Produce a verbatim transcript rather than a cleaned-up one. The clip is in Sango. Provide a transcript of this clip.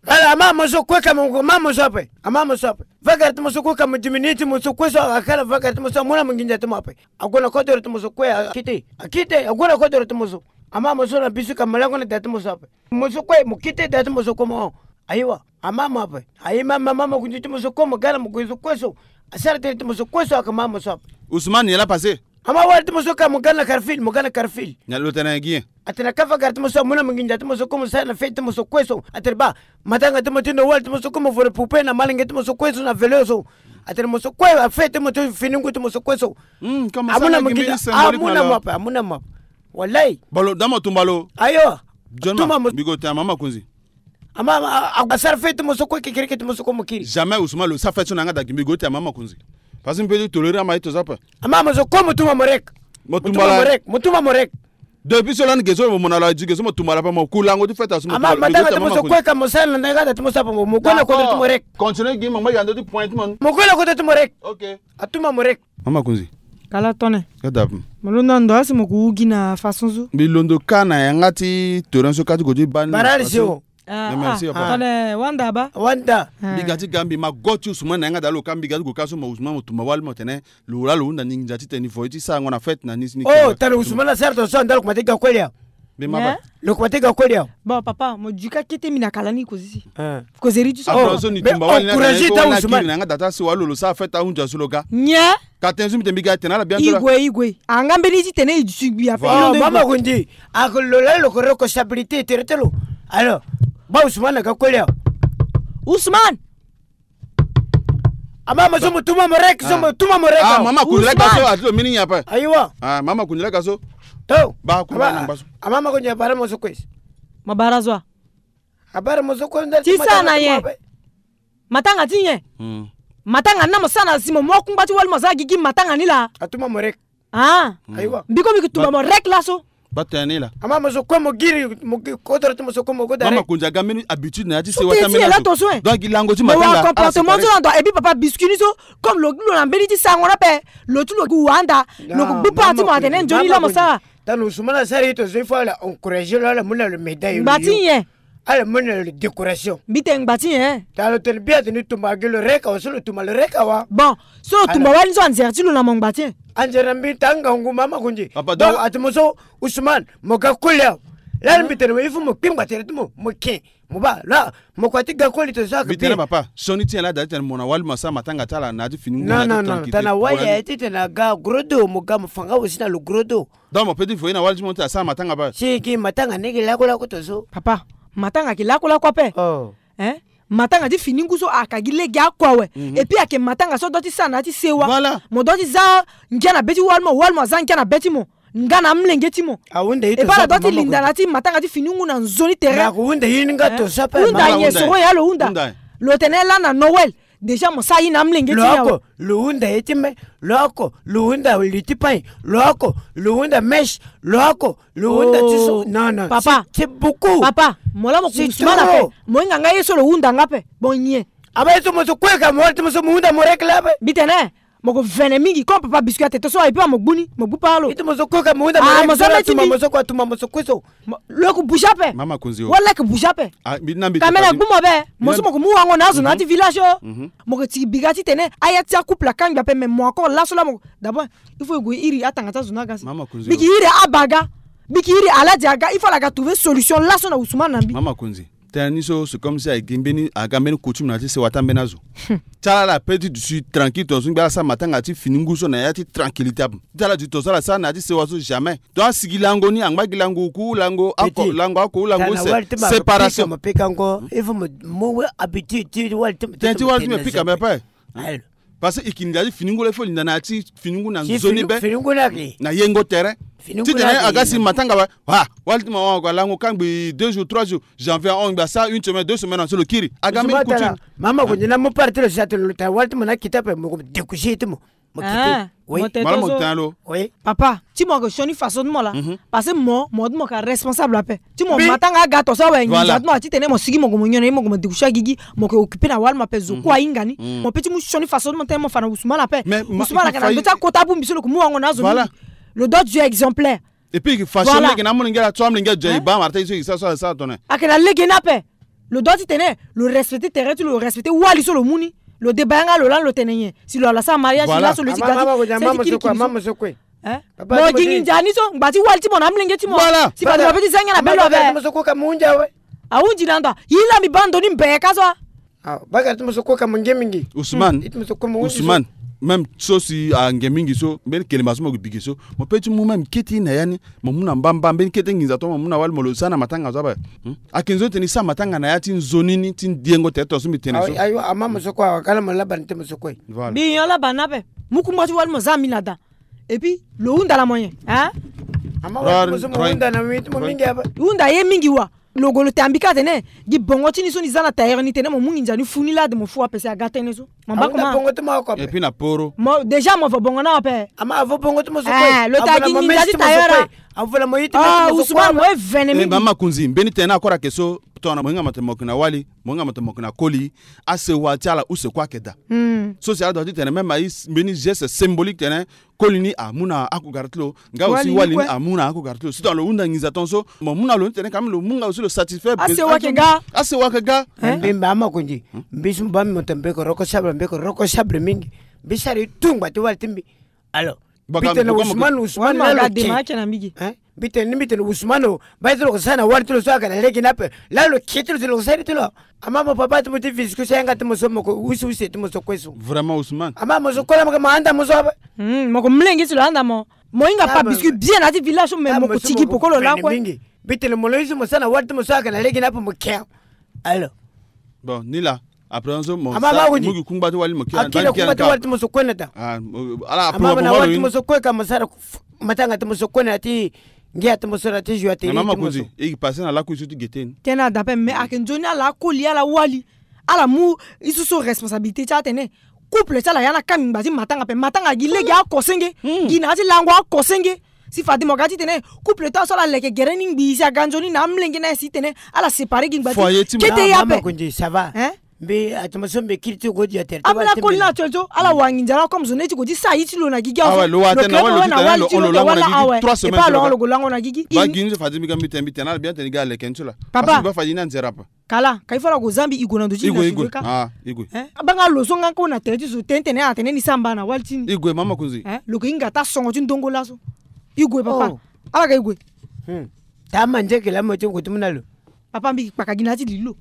Ala, ama mo so kue ka mo, ama mo so ape. Ama mo so ape. Vagara ti mo so kue ka mo diminuer ti mo so kue so, akala vagara ti mo so, amu na mo nginza ti mo ape. Ague na kodoro ti mo so kue, akite. Akite, ague na kodoro ti mo so. Ama mo so na bisu ka mo lango na da ti mo so ape. Mo so kue mo kite da ti mo so kue mo. Ayiwa, ama mo ape. Ayi ma, ma, ma, ma, kunzi ti mo so kue mo ga na mo kue so kue so. Asara tënë ti mo so kue so aka ma mo so ape. Ousmane, nyen la passé? Ama wali ti mo so ka mo ga na Carrefour, mo ga na Carrefour. Na lo tene gi nyen? Atene ka vagara ti mo so amu na mo nginza ti mo so kue mo sara na feti ti mo so kue so. Atene ba, matanga ti mo ti na wali ti mo so kue mo voro poupe na malenge ti mo so kue so na vélo so. Atene mo so kue afeti mo ti fini ngu ti mo so kue so. Hmm, comme ça, amu na mo nginza, amu na mo ape, amu na mo ape. Wallahi. Balo, da mo tumba lo. Ayo. John, tuma mo. Mbi go te ama Makonzi. Ama, a, a, asara feti mo so kue kekereke ti mo so kue mo kiri. Jamais Ousmane lo sara feti so na yanga da gi, mbi go te ama Makonzi. Parce que mbi peut ti tolérer ama ito so ape. Ama mo so kue mo tuma mo rek. Mo tuma mo rek. Mo tuma mo rek. Depuis so lani ge so mo na lo adi ge so mo tumba la ape, mo ku lango ti feti asu mo tumba la. Ama matanga ti mo so kue ka mo sara na yanga da ti mo so ape, mo, mo gue na kodro ti mo rek. Continue gi mo, mo yando ti point ti mo. Mo gue na kodro ti mo rek. Ok. Atuma mo rek. Mama Kunzi. Kala tone. Ka da ape. Mo londo na ndo asi mo ku wu gi na façon so. Mbi londo ka na yanga ti toren so ka ti go ti bani. Barari si o. Ah, merci, ah, papa. Tone wanda ba. Wanda. Ah. Mbi ga ti ga mbi ma go ti Ousmane na yanga da lo ka mbi ga ti go ka so ma Ousmane mo tumba wali mo tene. Lo la lo hunda ni nginza ti tene ni voye ti sarango na fête na ni si ni. Oh, tene Ousmane asara tongaso anda lo kuma ti ga koli awe. Mbi ma ba. Lo kuma ti ga koli awe. Bon, papa, mo duka kete mbi na kala ni kozi si. Ah. Kozeri ti so. Ah, so ni tumba wali na encourager ta Ousmane na yanga da ti asi wali lo lo sara fête ahunzi asu lo ga. Nye. Ka tene so mbi tene mbi ga tene ala bien. Igwe, igwe. Anga mbeni ti tene i dusu gbi ape. Voilà. Mama Kunzi. Ako lo la lo ko responsabilité tere ti lo. Alors, ba Ousmane na ga koli awe. Ousmane. Ama mo so mo tuma mo rek, so mo tuma mo rek. Ah, mama Kunzi la ga so ati lo mini nyen ape. Ayiwa. Ah, mama Kunzi la ga so. To. Ba ku ba na ngba so. Ama Makunzi abara mo so kue. Ma bara zo. Abara mo so kue ndali ti sa na ye. Matanga ti nyen? Hmm. Matanga ni na mo sara na si mo mu akungba ti wali mo za gigi matanga ni laa. Atuma mo rek. Ah. Hmm. Ayiwa. Mbi ko mbi ki tumba mo rek laso. Ba tene ni laa. Ama mo so kue mo giri, mo giri kodro ti mo so kue mo go dare. Mama Kunzi aga mbeni habitude na ya ti sewa ti ambeni azo. Donc agi lango ti matanga. Mo wa comportement so na ndo et puis papa biscuit ni so comme lo gi lo na mbeni ti sarango ni ape. Lo ti lo gi wanda. Lo ko gbu pa ti mo atene nzoni la mo sara. Tana Ousmane asara ye tongaso il faut ala encourager lo ala mu na lo médaille. Ngba ti nyen? Ala mu na lo décoration. Mbi tene ngba ti nyen? Tana lo tene bien atene tumba agi lo rek awa so lo tumba lo rek awa. Bon, so lo tumba wali so anzere ti lo na mo ngba ti nyen? Anzere na mbi tanga ngu mama Kunzi. Papa, donc ati mo so Ousmane mo ga koli awe. Lani mbi tene mo il faut mo kpingba tere ti mo mo ken. Mo ba la mo kua ti ga koli tongaso aka mbi tene papa. Sioni ti nyen la da ti tene mo na wali mo asara matanga ti ala na ya ti fini ngu na ya ti tranquillité. Non, non, non, tana wali aye ti tene aga gros dos mo ga mo fa nga aussi na lo gros dos. Donc mo peut ti voye na wali ti mo ti asara matanga ape. Si ki matanga ni ki lakue lakue tongaso. Papa, matanga ki lakue lakue ape. Oh. Hein? Matanga ti fini ngu so aka gi lege akue awe. Mhm. Et puis ayeke matanga so do ti sara na ya ti sewa. Voilà. Mo do ti za ngia na be ti wali mo, wali mo aza ngia na be ti mo. Nga na amolenge ti mo. Ahunda ye tongaso. E baa ala do ti linda na ya ti matanga ti fini ngu na nzoni tere. Ako hunda ye ni nga tongaso ape. Hunda nyen? Soro ya lo hunda. Lo tene lani na Noël. Déjà mo sara ye na amolenge ti nyen awe? Lo hunda ye ti me. Lo oko lo hunda li ti pain. Lo oko lo hunda mèche. Lo oko lo hunda ti so. Non, non. Papa, c'est beaucoup. Papa, mo la mo ku Ousmane ape. Mo hinga nga ye so lo hunda nga ape. Bon nyen? Aba ye so mo so kue ka mo wali ti mo so mo hunda mo rek la ape. Mbi tene mo ko vene mingi comme papa biscuit atete so aye pe mo gbu ni mo gbu pa lo. Ito mo so kue ka mo hunda mo rek so la tuma mo so kue atuma mo so kue so. Lo yeke bouge ape. Mama Konzi o. Wala yeke bouge ape. Ah, mbi na mbi kamera gbu mo be. Mo so mo ko mu wango na azo na ya ti village o. Mo ko tiki biga titene aya ti acouple akangbi ape, mais mo encore laso la mo. D'abord il faut e gue iri atanga ti azo ni aga si. Mama Konzi o. Mbi ke iri aba aga. Mbi ke iri alade aga. Il faut ala ga trouver solution laso na Ousmane na mbi. Mama Konzi. Tënë ni so c'est comme si ayeke mbeni aga mbeni coutume na ya ti sewa ti ambeni azo. Ti ala ala pe ti duti tranquille tongaso ngbi ala sara matanga ti fini ngu so na ya ti tranquillité ape. Ti ala duti tongaso ala sara na ya ti sewa so jamais. Donc asigi lango ni angba gi lango oku lango oko lango oko lango séparation. Mo pika ngo il faut mo mo habitude ti wali ti mo pika mo pe. Parce que e ke linda ti fini ngu la il faut linda na ya ti fini ngu na nzoni be. Fini ngu na ke na yengo tere. Fini ti tene aga si matanga ba. Ah, wali ti mo wangoko alango kangbi deux jours, trois jours. Janvier ahon ngbi asa une semaine, deux semaines, so lo kiri. Aga mbeni coutume. Mama ko nzina mo parti lo si atene lo ta wali ti mo na kita pe mo ko découcher ti mo. Mo kite. Ah, oui. Mo tene lo. Oui. Papa, ti mo ko sioni façon ti mo la. Mhm. Parce que mo, mo ti mo ka responsable ape. Ti mo matanga aga to so awe nginza ti mo ati tene mo sigi mo ko mo nyon na ye mo ko mo découcher agigi, mo ko occuper na wali mo ape zo kue ahinga ni. Mo pe ti mu sioni façon ti mo tene mo fa na Ousmane ape. Ousmane ake na ndo ti akota abongbi so lo ko mu wango na azo mingi. Lo doit être exemplaire. Et puis façon lege na amolenge la so amolenge azo e baa mara ti so e sa so e sa tone. Ake na lege ni ape. Lo doit ti tene lo respecter tere ti lo, lo respecter wali so lo mu ni. Lo deba yanga lo lani lo tene nyen? Si lo ala sara mariage laso lo ye ti ga ti, mama so kue, mama so kue. Hein? Mo gi nginza ni so ngba ti wali ti mo na amolenge ti mo. Voilà. Si fade mo pe ti za ngia na belo ape. Ahunzi na ndo. Yi la mbi baa ndo ni mbeka so. Ah, bakara ti mo so kue ka mo nge mingi. Ousmane. Ousmane. Même so si ange mingi so mbeni kelemba so mo gi bigi so, mo pe ti mu même kete na ya ni. Mo mu na mbamba mbeni kete nginza to mo mu na wali mo lo sa na matanga so ape. Hmm? Ake nzoni tene e sa matanga na ya ti nzoni ni ti ndiengo tere to so mbi tene so. Ayo, ama mo so kue awa kala mo laba ni te mo so kue. Voilà. Mbi nyon laba ni ape. Mu kungba ti wali mo za mbi na da. Et puis lo hunda na mo nyen? Hein? Ama wali mo so mo hunda na mo mingi ape. Hunda ye mingi wa. Lo go lo te ambi ka tene gi bongo ti ni so ni za na tailleur ni tene mo mu nginza ni fu ni lade mo fu ape si aga tënë so. Mo mba kuma. Et puis na poro. Mo déjà mo vo bongo na ape. Ama avo bongo ti mo so kue. Eh, lo ta gi nginza ti tailleur la. Avo la mo yiti. Ah, Ousmane mo e vene mingi. Mama Kunzi, mbeni tene akora ke so. Tongana mo hinga mo tene mo yeke na wali, mo hinga mo tene mo yeke na koli. Asewa ti ala use kue ayeke daa. So si ala doit ti tene même aye mbeni geste symbolique tene koli ni amu na akugara ti lo. Nga aussi wali ni amu na akugara ti lo. Surtout lo hunda nginza tongaso mo mu na lo ni tene quand même lo mu nga aussi lo satisfait. Asewa ayeke ga. Asewa ayeke ga. Mbi mba ama Kunzi. Mbi so mbi baa mbi mo tene mbi yeke reconnaissable, mbi yeke reconnaissable mingi. Mbi sara ye tout ngba ti wali ti mbi. Alors, mbi tene Ousmane, Ousmane laa lo ke. Hein? Mbi tene ni mbi tene Ousmane o, mbi tene lo ke sara na wali ti lo so ayeke na lege ni ape. Laa lo ke ti lo tene lo ke sara ti lo. Ama mo papa ti mo ti viscouche yanga ti mo so mo ko use use ti mo so kue so. Vraiment Ousmane. Ama mo so kue laa mo ke mo handa mo so ape. Hmm, mo ko mlenge ti lo handa mo. Mo hinga pa biscuit bien na ya ti village so me mo ko tigi poko lo lakue. Mbi tene mo lo use mo sara na wali ti mo so ayeke na lege ni ape mo ke. Alors. Bon, ni laa. Après so mo sa mo gi kungba ti wali mo ke. Akiri kungba ti wali ti mo so kue na da. Ah, ala ama mo na wali ti mo so kue ka mo sara matanga ti mo so kue na ti ngia ti mo so na ti joie ti mo so. Mama Kunzi, e gi passé na laku e so ti gete ni. Tena da ape mais ayeke nzoni ala akoli ala wali. Ala mu e so so responsabilité ti atene couple ti ala ya na kangbi ngba ti matanga ape. Matanga gi lege akosenge. Gi na ya ti lango akosenge. Si fade mo ga ti tene couple ti ala so ala leke gere ni ngbii si aga nzoni na amlenge na ye si tene ala séparer gi ngba ti kete ye ape. Mbi atama so mbi kiri ti go dia tere amina koli na atuel so ala wangi nzara comme zo ne ti go ti sa ye ti lo na gigi awe lo wa tene na wali lo kiri lo lango na gigi trois semaines. Epa lo lo go lango na gigi ba gi ni so fade mbi ga mbi tene mbi tene ala bien tene ga leke ni so la. Papa ba fade ni anzera pa. Kala ka il faut la go zambi igo na ndo ti igo igo. Ah igo. Abanga lo so nga ko na tere ti zo tene tene atene ni samba na wali ti ni igo mama Kunzi. Lo ko hinga ta songo ti ndongo laso. Igo papa. Ala ga igo. Ta manze ke la mo ti go ti muna lo. Papa mbi kpaka gi na ya ti lilo.